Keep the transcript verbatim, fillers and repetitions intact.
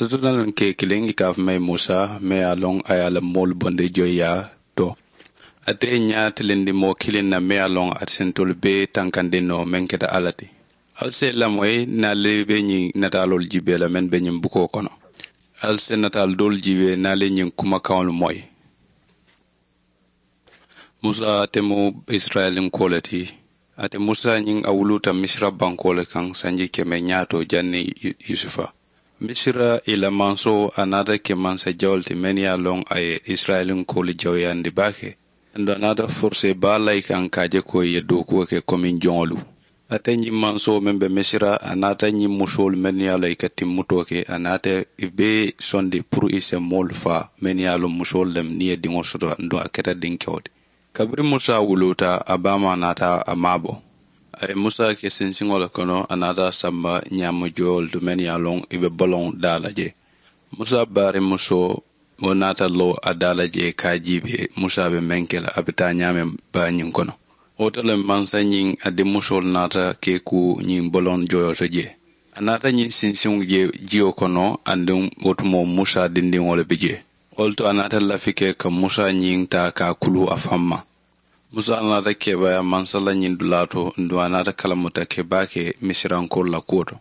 Sotona loŋ ke kiliŋ i ka a fo ma ye musa me ye a loŋ a ye a la moolu bondi joyiyaa to. Ate ye ñaa tilindi moo kiliŋ na me ye a loŋ ate sentolu bee tankandi noo meŋ keta alla ti. Ali se lamoyi naali be ñiŋ nataaloolu jiibee la meŋ be ñiŋ bukoo kono. Ali se nataali doolu jiibee naali ñiŋ kumakaŋolu moyi. Musa ate mu isirayilinko le ti. Ate musa ñiŋ a wuluuta misira bankoo le kaŋ sanji keme ñaato janni yusufa. Misira i la mansoo a naata ke mansa jawolu ti mennu ye a loŋ a ye isirayilinkoolu jawuyandi baake. Aduŋ a naata foruse baa la i kaŋ ka a je ko i ye dookuwo ke komiŋ joŋolu. Ate ñiŋ mansoo meŋ be misira a naata ñiŋ musoolu mennu ye a loŋ i ka timmutoo ke a naata i bee sondi puru i se moolu faa mennu ye a loŋ musoolu lemu niŋ i ye diŋo soto aduŋ a keta dinkewo ti. Kabiriŋ musa wuluuta a baamaa naata a maabo. A ye musa ke sinsiŋo le kono a naata a samba ñaama joyoolu to mennu ye a loŋ i be boloŋ daa la jee. Musa baariŋ musoo wo naata loŋ a daa la jee ka a jiibee musa be meŋ ke la a be taa ñaameŋ baa ñiŋ kono. Wo to le mansa ñiŋ a dimmusoolu naata ke ku ñiŋ boloŋ joyoo to jee. A naata ñiŋ sinsiŋo je jiyo kono aduŋ wo tumoo musa dindiŋo le be jee. Wo le to a naata lafi ke ka musa ñiŋ taa ka a kuluu a faŋ ma. Musa naata keebaayaa mansa la ñiŋ dulaa to aduŋ a naata kalamuta ke baake misirankoolu la kuwo to.